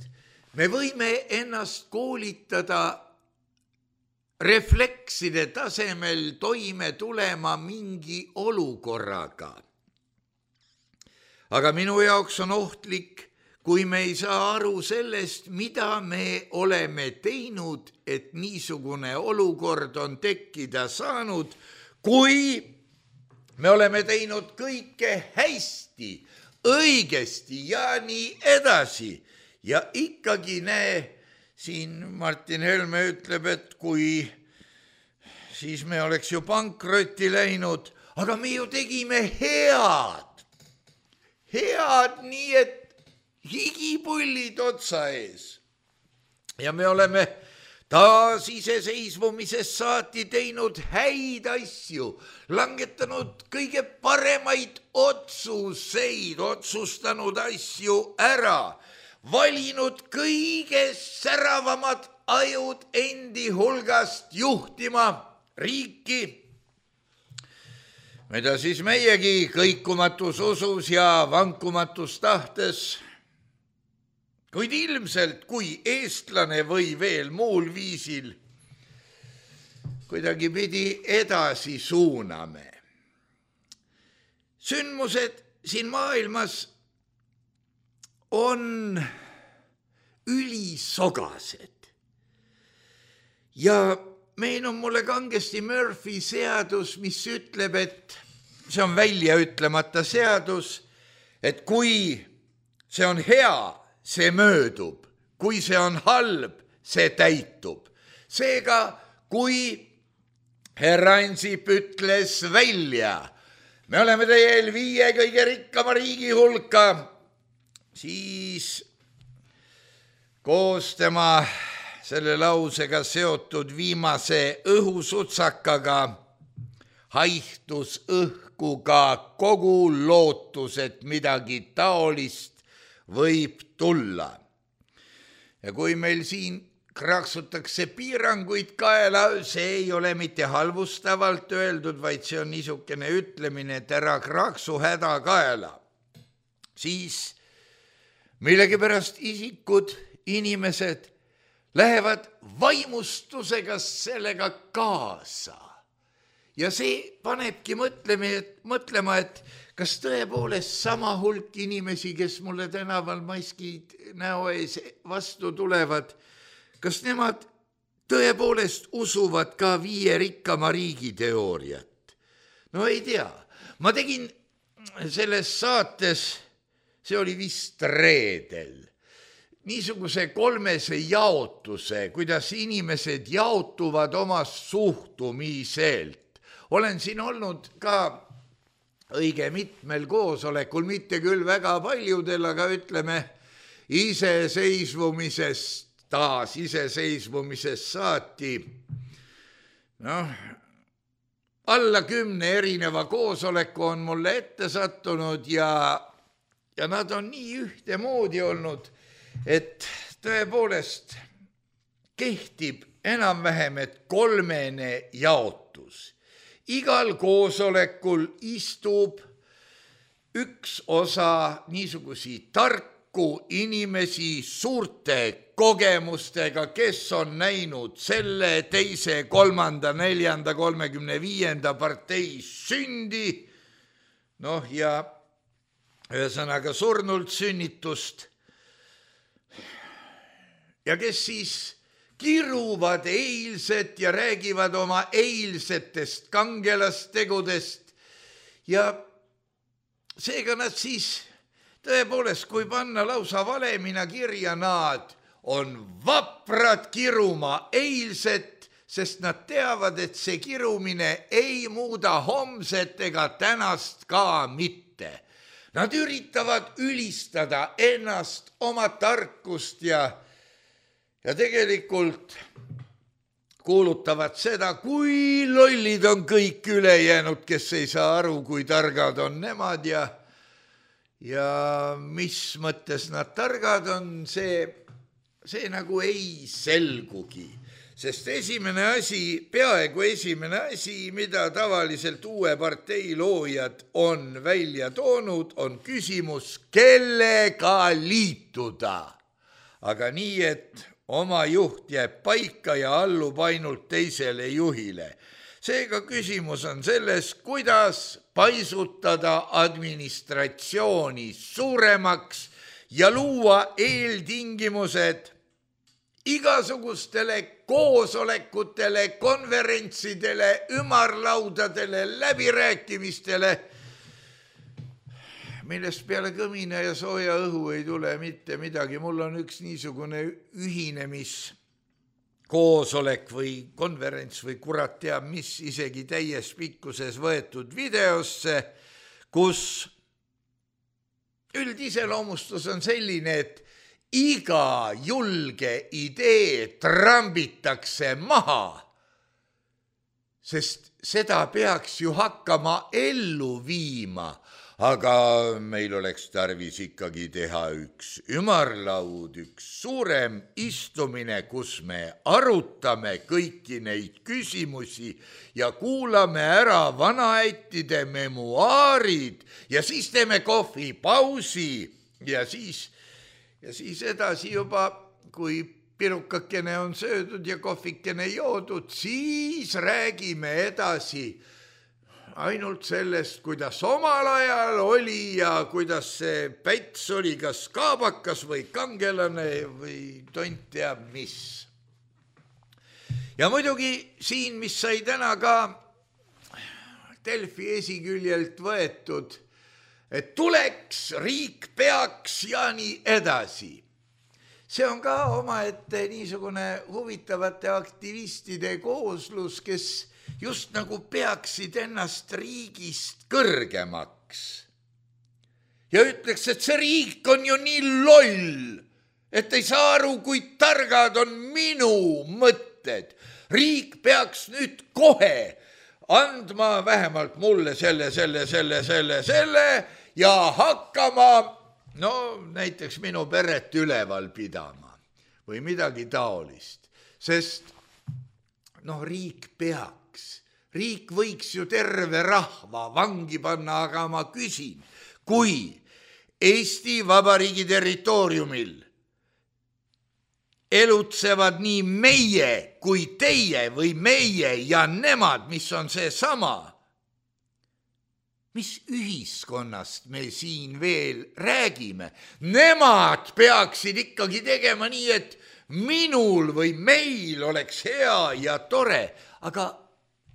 Speaker 3: me võime ennast koolitada reflekside tasemel toime tulema mingi olukorraga. Aga minu jaoks on ohtlik, kui me ei saa aru sellest, mida me oleme teinud, et niisugune olukord on tekkida saanud, kui me oleme teinud kõike hästi, õigesti ja nii edasi. Ja ikkagi siin Martin Helme ütleb, et kui siis me oleks ju pankrotti läinud, aga me ju tegime head nii, et higipullid otsa ees. Ja me oleme taas iseseisvumisest saati teinud häid asju, langetanud kõige paremaid otsuseid, otsustanud asju ära, valinud kõige säravamad ajud endi hulgast juhtima riiki, mida siis meiegi kõikumatus usus ja vankumatus tahtes, kuid ilmselt kui eestlane või veel muul viisil kuidagi pidi edasi suuname. Sündmused siin maailmas on ülisogased ja meenub mulle kangesti Murphy seadus, mis ütleb, et see on välja ütlemata seadus, et kui see on hea, see möödub, kui see on halb, see täitub. Seega, kui härra Ansip ütles välja, me oleme teel 5 kõige rikkama riigi hulka, siis koos tema selle lausega seotud viimase õhusutsakaga haihtus õhku ka kogu lootus, et midagi taolist võib tulla. Ja kui meil siin kraksutakse piiranguid kaela, see ei ole mitte halvustavalt öeldud, vaid see on niisugune ütlemine, et ära kraksu häda kaela. Siis millegipärast isikud, inimesed lähevad vaimustusega sellega kaasa. Ja see panebki mõtlema, et kas tõepoolest sama hulk inimesi, kes mulle tänaval maskid näo ees vastu tulevad, kas nemad tõepoolest usuvad ka 5 rikkama riigi teooriat? No ei tea. Ma tegin selles saates, see oli vist reedel, niisuguse 3 jaotuse, kuidas inimesed jaotuvad oma suhtumiselt. Olen siin olnud ka õige mitmel koosolekul, mitte küll väga paljudel, aga ütleme iseseisvumisest saati. Alla 10 erineva koosoleku on mulle ette sattunud ja nad on nii ühtemoodi olnud, et tõepoolest kehtib enam-vähem, et 3 jaotus. Igal koosolekul istub üks osa niisugusi tarku inimesi suurte kogemustega, kes on näinud selle, teise, 3., 4., 35. partei sündi, ja ühesõnaga surnult sünnitust, ja kes siis kiruvad eilset ja räägivad oma eilsetest kangelastegudest ja seega nad siis tõepoolest, kui panna lausa valemina kirja, nad on vaprad kiruma eilset, sest nad teavad, et see kirumine ei muuda homset ega tänast ka mitte. Nad üritavad ülistada ennast, oma tarkust ja tegelikult kuulutavad seda, kui lollid on kõik ülejäänud, kes ei saa aru, kui targad on nemad ja mis mõttes nad targad on, see nagu ei selgugi. Sest peaaegu esimene asi, mida tavaliselt uue partei loojad on välja toonud, on küsimus, kellega liituda. Aga nii, et oma juht jääb paika ja allub ainult teisele juhile. Seega küsimus on selles, kuidas paisutada administratsiooni suuremaks ja luua eeltingimused igasugustele koosolekutele, konverentsidele, ümarlaudadele, läbirääkimistele, millest peale kõmina ja sooja õhu ei tule mitte midagi. Mul on üks niisugune ühinemiskoosolek või konverents või kurat teab mis, isegi täies pikkuses võetud videosse, kus üldiseloomustus on selline, et iga julge idee trambitakse maha, sest seda peaks ju hakkama ellu viima, aga meil oleks tarvis ikkagi teha üks ümarlaud, üks suurem istumine, kus me arutame kõiki neid küsimusi ja kuulame ära vanaättide memuaarid ja siis teeme kohvipausi ja siis edasi juba, kui pirukakene on söödud ja kohvikene joodud, siis räägime edasi ainult sellest, kuidas omal ajal oli ja kuidas see Päts oli kas kaabakas või kangelane või tont teab mis. Ja muidugi siin, mis sai täna ka Delfi esiküljelt võetud, et tuleks, riik peaks ja nii edasi. See on ka omaette niisugune huvitavate aktivistide kooslus, kes just nagu peaksid ennast riigist kõrgemaks. Ja ütleks, et see riik on ju nii loll, et ei saa aru, kui targad on minu mõtted. Riik peaks nüüd kohe andma vähemalt mulle selle ja hakkama näiteks minu peret üleval pidama või midagi taolist, sest riik võiks ju terve rahva vangi panna, aga ma küsin, kui Eesti Vabariigi territooriumil elutsevad nii meie kui teie või meie ja nemad, mis on see sama, mis ühiskonnast me siin veel räägime? Nemad peaksid ikkagi tegema nii, et minul või meil oleks hea ja tore, aga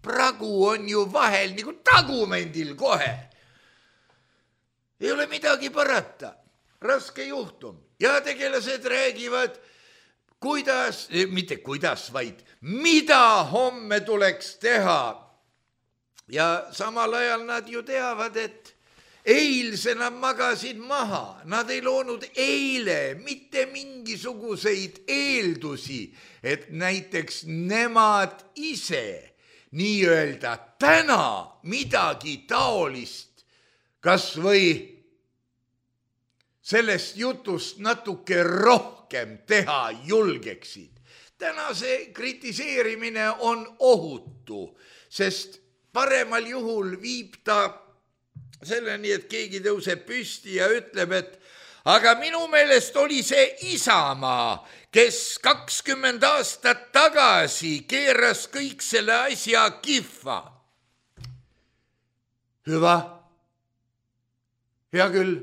Speaker 3: pragu on ju vahel nagu tagumendil kohe. Ei ole midagi parata, raske juhtum. Ja tegelased räägivad, mitte kuidas, vaid mida homme tuleks teha. Ja samal ajal nad ju teavad, et eilse nad magasid maha. Nad ei loonud eile mitte mingisuguseid eeldusi, et näiteks nemad ise nii-öelda täna midagi taolist, kas või sellest jutust natuke rohkem teha julgeksid. Täna see kritiseerimine on ohutu, sest paremal juhul viib ta selleni, et keegi tõuseb püsti ja ütleb, et aga minu meelest oli see Isamaa, kes 20 aastat tagasi keeras kõik selle asja kihva. Hüva. Hea küll,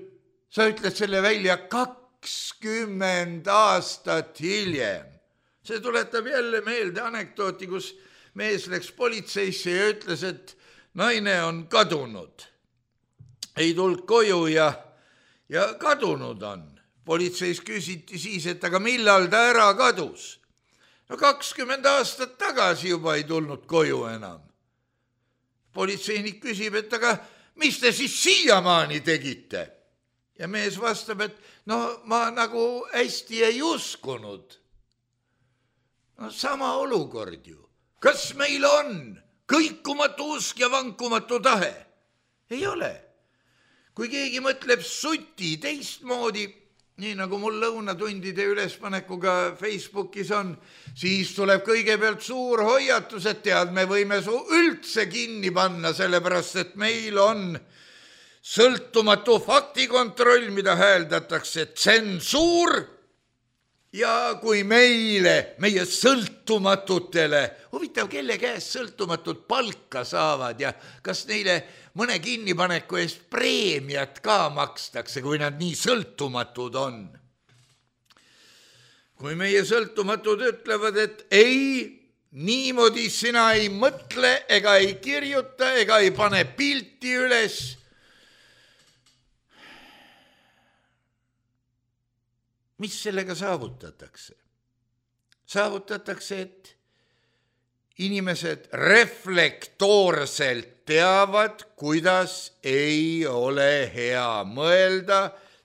Speaker 3: sa ütled selle välja 20 aastat hiljem. See tuletab jälle meelde anekdooti, kus mees läks politseisse ja ütles, et naine on kadunud. Ei tulnud koju ja kadunud on. Politseis küsiti siis, et aga millal ta ära kadus? 20 aastat tagasi juba ei tulnud koju enam. Politseinik küsib, et aga mis te siis siiamaani tegite? Ja mees vastab, et ma nagu hästi ei uskunud. Sama olukord ju. Kas meil on kõikumatu usk ja vankumatu tahe? Ei ole. Kui keegi mõtleb suti teistmoodi, nii nagu mul lõunatundide ülespanekuga Facebookis on, siis tuleb kõigepealt suur hoiatus, et tead, me võime su üldse kinni panna, sellepärast et meil on sõltumatu faktikontroll, mida hääldatakse tsensuur. Ja kui meie sõltumatutele, huvitav, kelle käest sõltumatut palka saavad ja kas neile mõne kinnipaneku eest preemiat ka makstakse, kui nad nii sõltumatud on. Kui meie sõltumatud ütlevad, et ei, niimoodi sina ei mõtle ega ei kirjuta ega ei pane pilti üles, mis sellega saavutatakse? Saavutatakse, et inimesed reflektoorselt teavad, kuidas ei ole hea mõelda,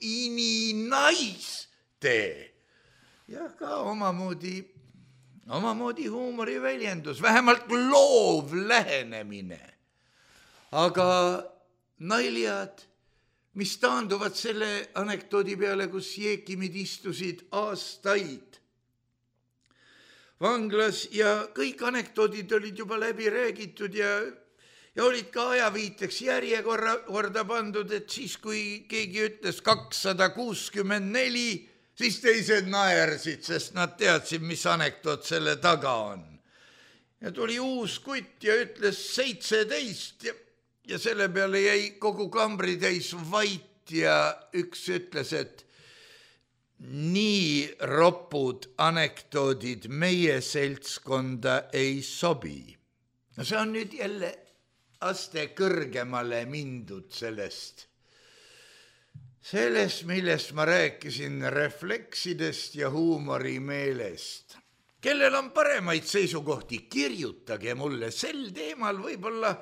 Speaker 3: ininaiste. jah, ka omamoodi huumoriväljendus, vähemalt loov lähenemine. aga naljad, mis taanduvad selle anekdoodi peale, kus jeekimid istusid aastaid vanglas ja kõik anekdoodid olid juba läbi räägitud ja olid ka ajaviiteks järjekorda pandud, et siis, kui keegi ütles 264, siis teised naersid, sest nad teadsid, mis anekdoot selle taga on. ja tuli uus kutt ja ütles 17 ja selle peale jäi kogu kambri täis vait ja üks ütles, et nii ropud anekdoodid meie seltskonda ei sobi. no see on nüüd jälle aste kõrgemale mindud sellest, millest ma rääkisin, refleksidest ja huumorimeelest. kellel on paremaid seisukohti, kirjutage mulle sel teemal, võib-olla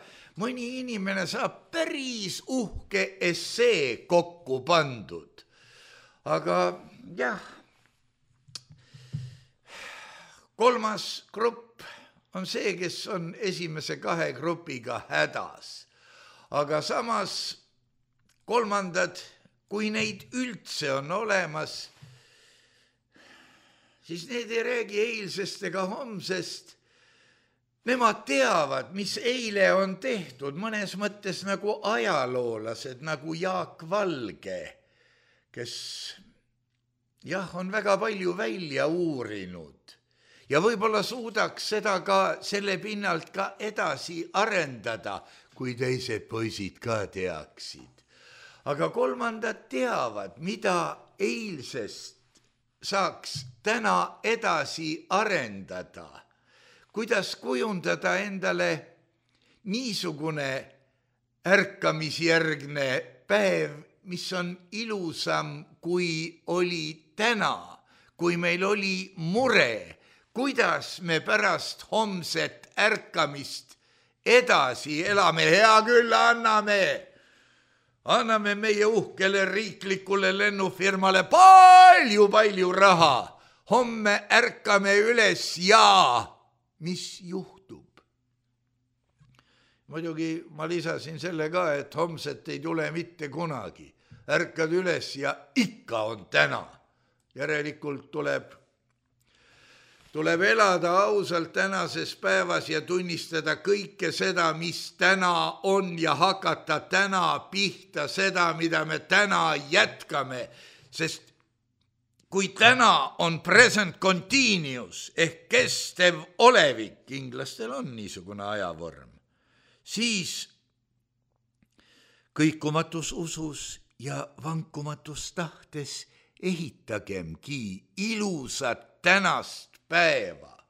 Speaker 3: mõni inimene saab päris uhke essee kokku pandud. aga jah, kolmas grupp on see, kes on esimese kahe grupiga hädas. aga samas kolmandad, kui neid üldse on olemas, siis need ei räägi eilsest ega homsest. Nemad teavad, mis eile on tehtud, mõnes mõttes nagu ajaloolased, nagu Jaak Valge, kes jah, on väga palju välja uurinud ja võib-olla suudaks seda ka selle pinnalt ka edasi arendada, kui teised poisid ka teaksid. aga kolmandad teavad, mida eilsest saaks täna edasi arendada, kuidas kujundada endale niisugune ärkamisjärgne päev, mis on ilusam, kui oli täna, kui meil oli mure, kuidas me pärast homset ärkamist edasi elame. hea küll, anname meie uhkele riiklikule lennufirmale palju raha. homme ärkame üles ja mis juhtub? muidugi ma lisasin selle ka, et homset ei tule mitte kunagi. ärkad üles ja ikka on täna. järelikult tuleb elada ausalt tänases päevas ja tunnistada kõike seda, mis täna on ja hakata täna pihta seda, mida me täna jätkame. Sest kui täna on present continuous ehk kestev olevik, inglastel on niisugune ajavorm, siis kõikumatus usus ja vankumatus tahtes ehitagemgi ilusat tänast päeva.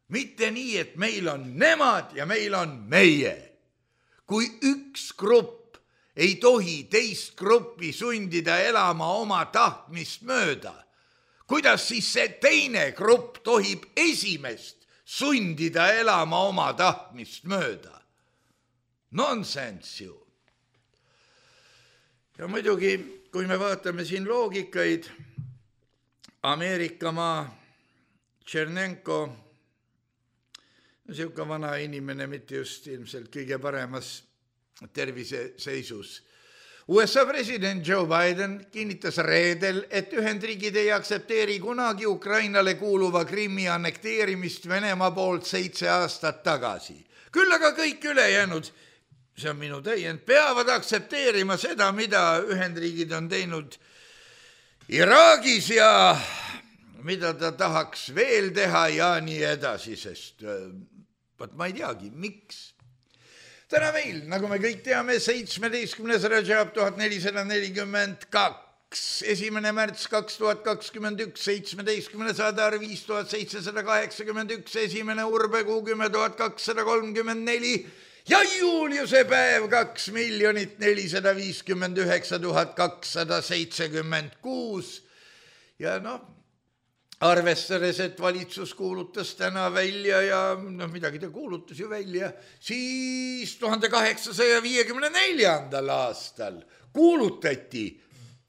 Speaker 3: Mitte nii, et meil on nemad ja meil on meie. Kui üks grupp ei tohi teist gruppi sundida elama oma tahtmist mööda, kuidas siis see teine grupp tohib esimest sundida elama oma tahtmist mööda? Nonsense ju. ja muidugi, kui me vaatame siin loogikaid, Ameerika maa, Tšernenko, niisugune vana inimene, mitte just ilmselt kõige paremas terviseseisus. USA president Joe Biden kinnitas reedel, et Ühendriigid ei aktsepteeri kunagi Ukrainale kuuluva Krimmi annekteerimist Venemaa poolt 7 aastat tagasi. Küll aga kõik ülejäänud, see on minu täiend, peavad aktsepteerima seda, mida Ühendriigid on teinud Iraagis ja mida ta tahaks veel teha ja nii edasi, sest ma ei teagi, miks. Täna meil, nagu me kõik teame, 17. Rajab 1442, 1. märts 2021, 17. Adar 5781, 1. Urbekuu 10 234 ja Juuliuse päev 2 459 276. ja arvestades, et valitsus kuulutas täna välja ja midagi ta kuulutas ju välja, siis 1854. aastal kuulutati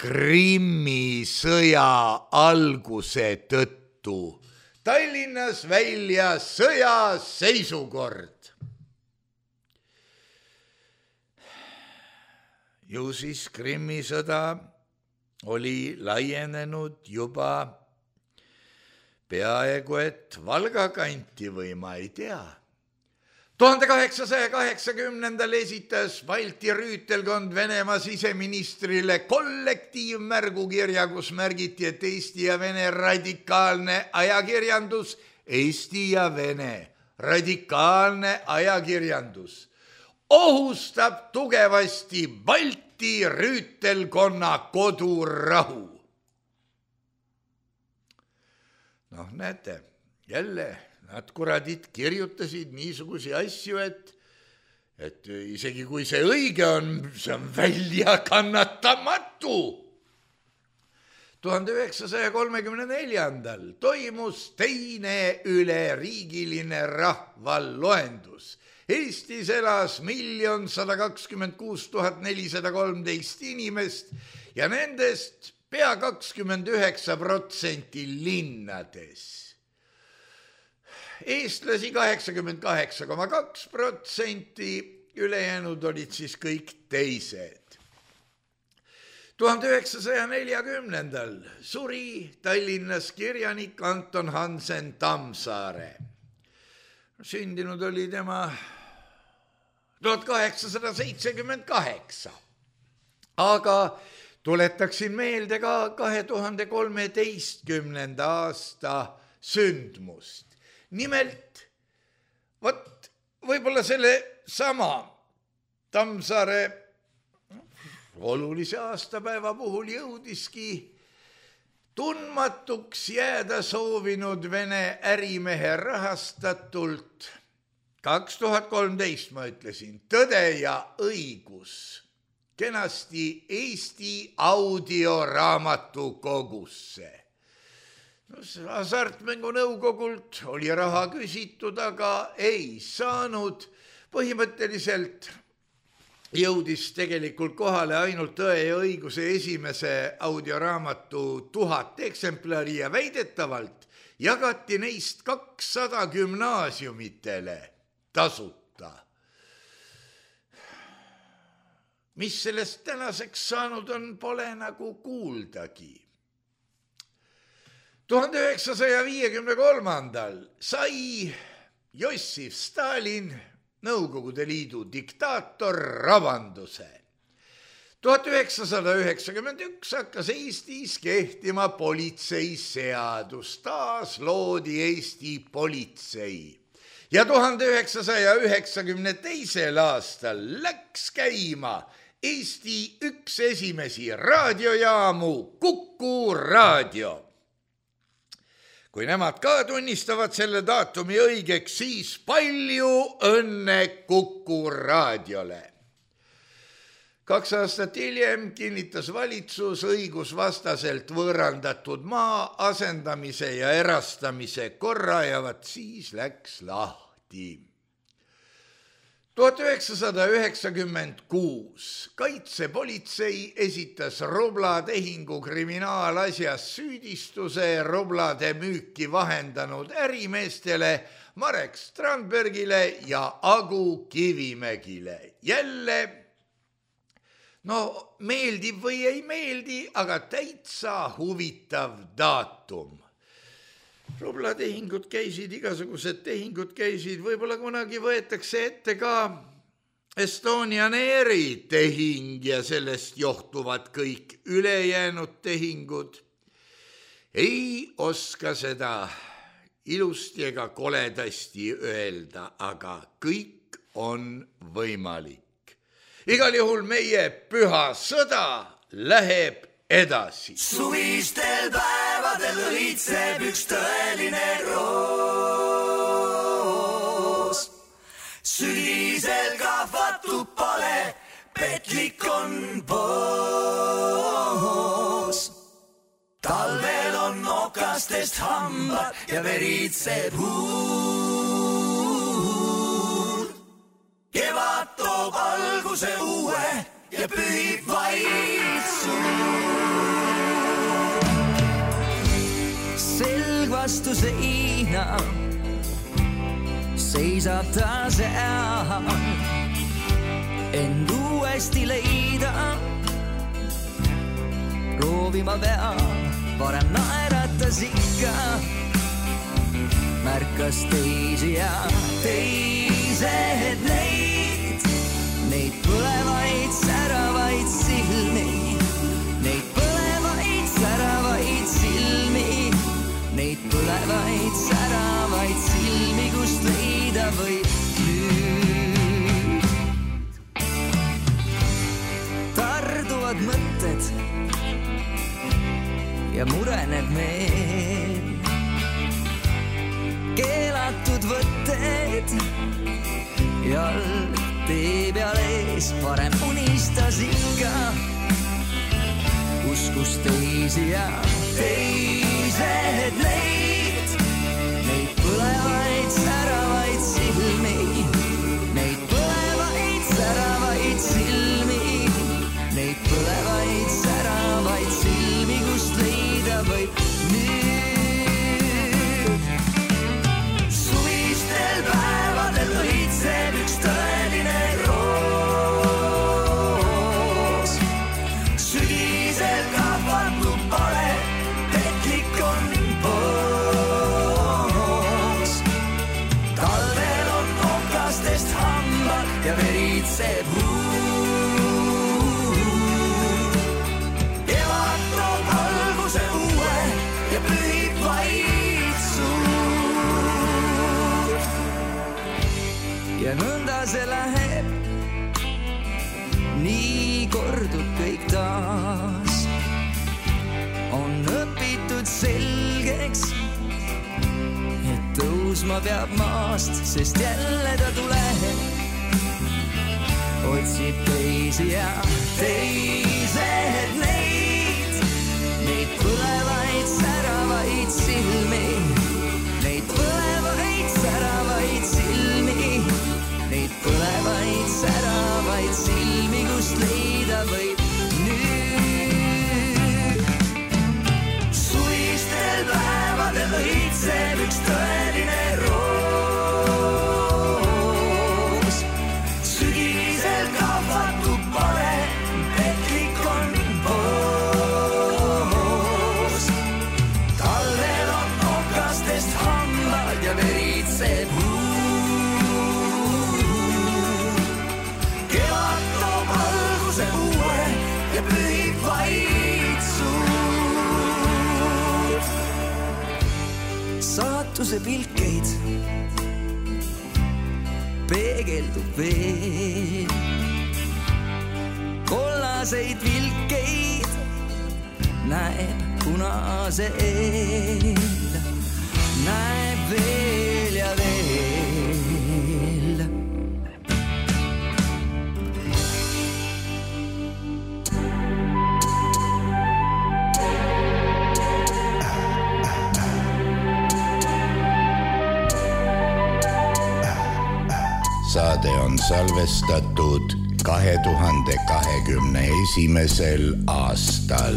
Speaker 3: Krimmi sõja alguse tõttu Tallinnas välja sõjaseisukord. Ju siis Krimmi sõda oli laienenud juba peaaegu et Valga kanti või ma ei tea. 1880. esitas Balti rüütelkond Venemaa siseministrile kollektiivmärgukirja, kus märgiti, et Eesti ja Vene radikaalne ajakirjandus, Eesti ja Vene radikaalne ajakirjandus ohustab tugevasti Balti rüütelkonna kodurahu. Noh, näete, jälle nad kuradid kirjutasid niisugusi asju, et isegi kui see õige on, see on väljakannatamatu. 1934. toimus teine üleriigiline rahvaloendus. Eestis elas 1 126 413 inimest ja nendest pea 29% linnades. Eestlasi 88,2%, ülejäänud olid siis kõik teised. 1940. suri Tallinnas kirjanik Anton Hansen Tammsaare. Sündinud oli tema 1878, aga tuletaksin meelde ka 2013. aasta sündmust. Nimelt, võib-olla selle sama Tammsaare olulise aastapäeva puhul jõudiski tundmatuks jääda soovinud Vene ärimehe rahastatult 2013, ma ütlesin, Tõde ja õigus kenasti Eesti audioraamatukogusse. Hasartmängu nõukogult oli raha küsitud, aga ei saanud. Põhimõtteliselt jõudis tegelikult kohale ainult Tõe ja õiguse esimese audioraamatu 1000 eksemplari ja väidetavalt jagati neist 200 gümnaasiumitele tasuta. Mis sellest tänaseks saanud on, pole nagu kuuldagi. 1953. sai Jossif Stalin, Nõukogude Liidu diktaator, rabanduse. 1991 hakkas Eestis kehtima politseiseadus, taas loodi Eesti politsei. Ja 1992. aastal läks käima Eesti üks esimesi raadiojaamu, Kuku raadio. Kui nemad ka tunnistavad selle daatumi õigeks, siis palju õnne Kuku raadiole. 2 aastat hiljem kinnitas valitsus õigusvastaselt võõrandatud maa asendamise ja erastamise korra ja vat siis läks lahti. 1996 kaitsepolitsei esitas rublatehingu kriminaalasjas süüdistuse rublade müüki vahendanud ärimeestele Marek Strandbergile ja Agu Kivimägile. Jälle, no meeldib või ei meeldi, aga täitsa huvitav daatum. Rublatehingud käisid, igasugused tehingud käisid, võib-olla kunagi võetakse ette ka Estonian Airi tehing ja sellest johtuvad kõik ülejäänud tehingud. Ei oska seda ilusti ega koledasti öelda, aga kõik on võimalik. Igal juhul meie püha sõda läheb edasi.
Speaker 2: Suvistel päevadel õitseb üks tõeline roos. Sügisel kahvatub pale, petlik on poos. Talvel on okastest hambad ja veritseb huul. Kevad toob alguse uue ja pühib vaid suur.
Speaker 4: vastu seina seisab ta seal, end uuesti leida proovima peab, varem naeratas ikka, märkas teisi ja teised neid põlevaid säravaid silmi, neid põlevaid säravaid silmi, neid põlevaid säravaid silmi, kust leida võib nüüd. Tarduvad mõtted ja mureneb meel, keelatud võtted, jalg tee peal ees, varem unistas ikka, uskus teisi ja teised neid põlevaid säravaid silmi, neid põlevaid säravaid silmi, neid põlevaid säravaid silmi, kust leida võib nüüd. Suvistel päevadel õitseb üks tõeline roos, sügisel kahvatub pale, petlik on poos. Talvel on nokastest hambad ja veritseb huu. Kevad toob alguse uue ja pühib vaid suud. Ja nõnda see läheb, nii kordub kõik taas. On õpitud selgeks, et tõusma peab maast, sest jälle ta tuleb, otsib teisi ja teised neid põlevaid säravaid silmi, neid põlevaid säravaid silmi, neid põlevaid säravaid silmi, kust leida võib nüüd. Suvistel päevadel õitseb üks tõeline roos, sügisel kahvatub pale, petlik on poos. Talvel on nokastest hambad ja veritseb huu. Kevad toob alguse uue ja pühib vaid suud. Saatuse pilkeid peegeldub veel, kollaseid vilkeid näeb punase eel, näeb veel ja veel.
Speaker 5: Saade on salvestatud 2021. aastal.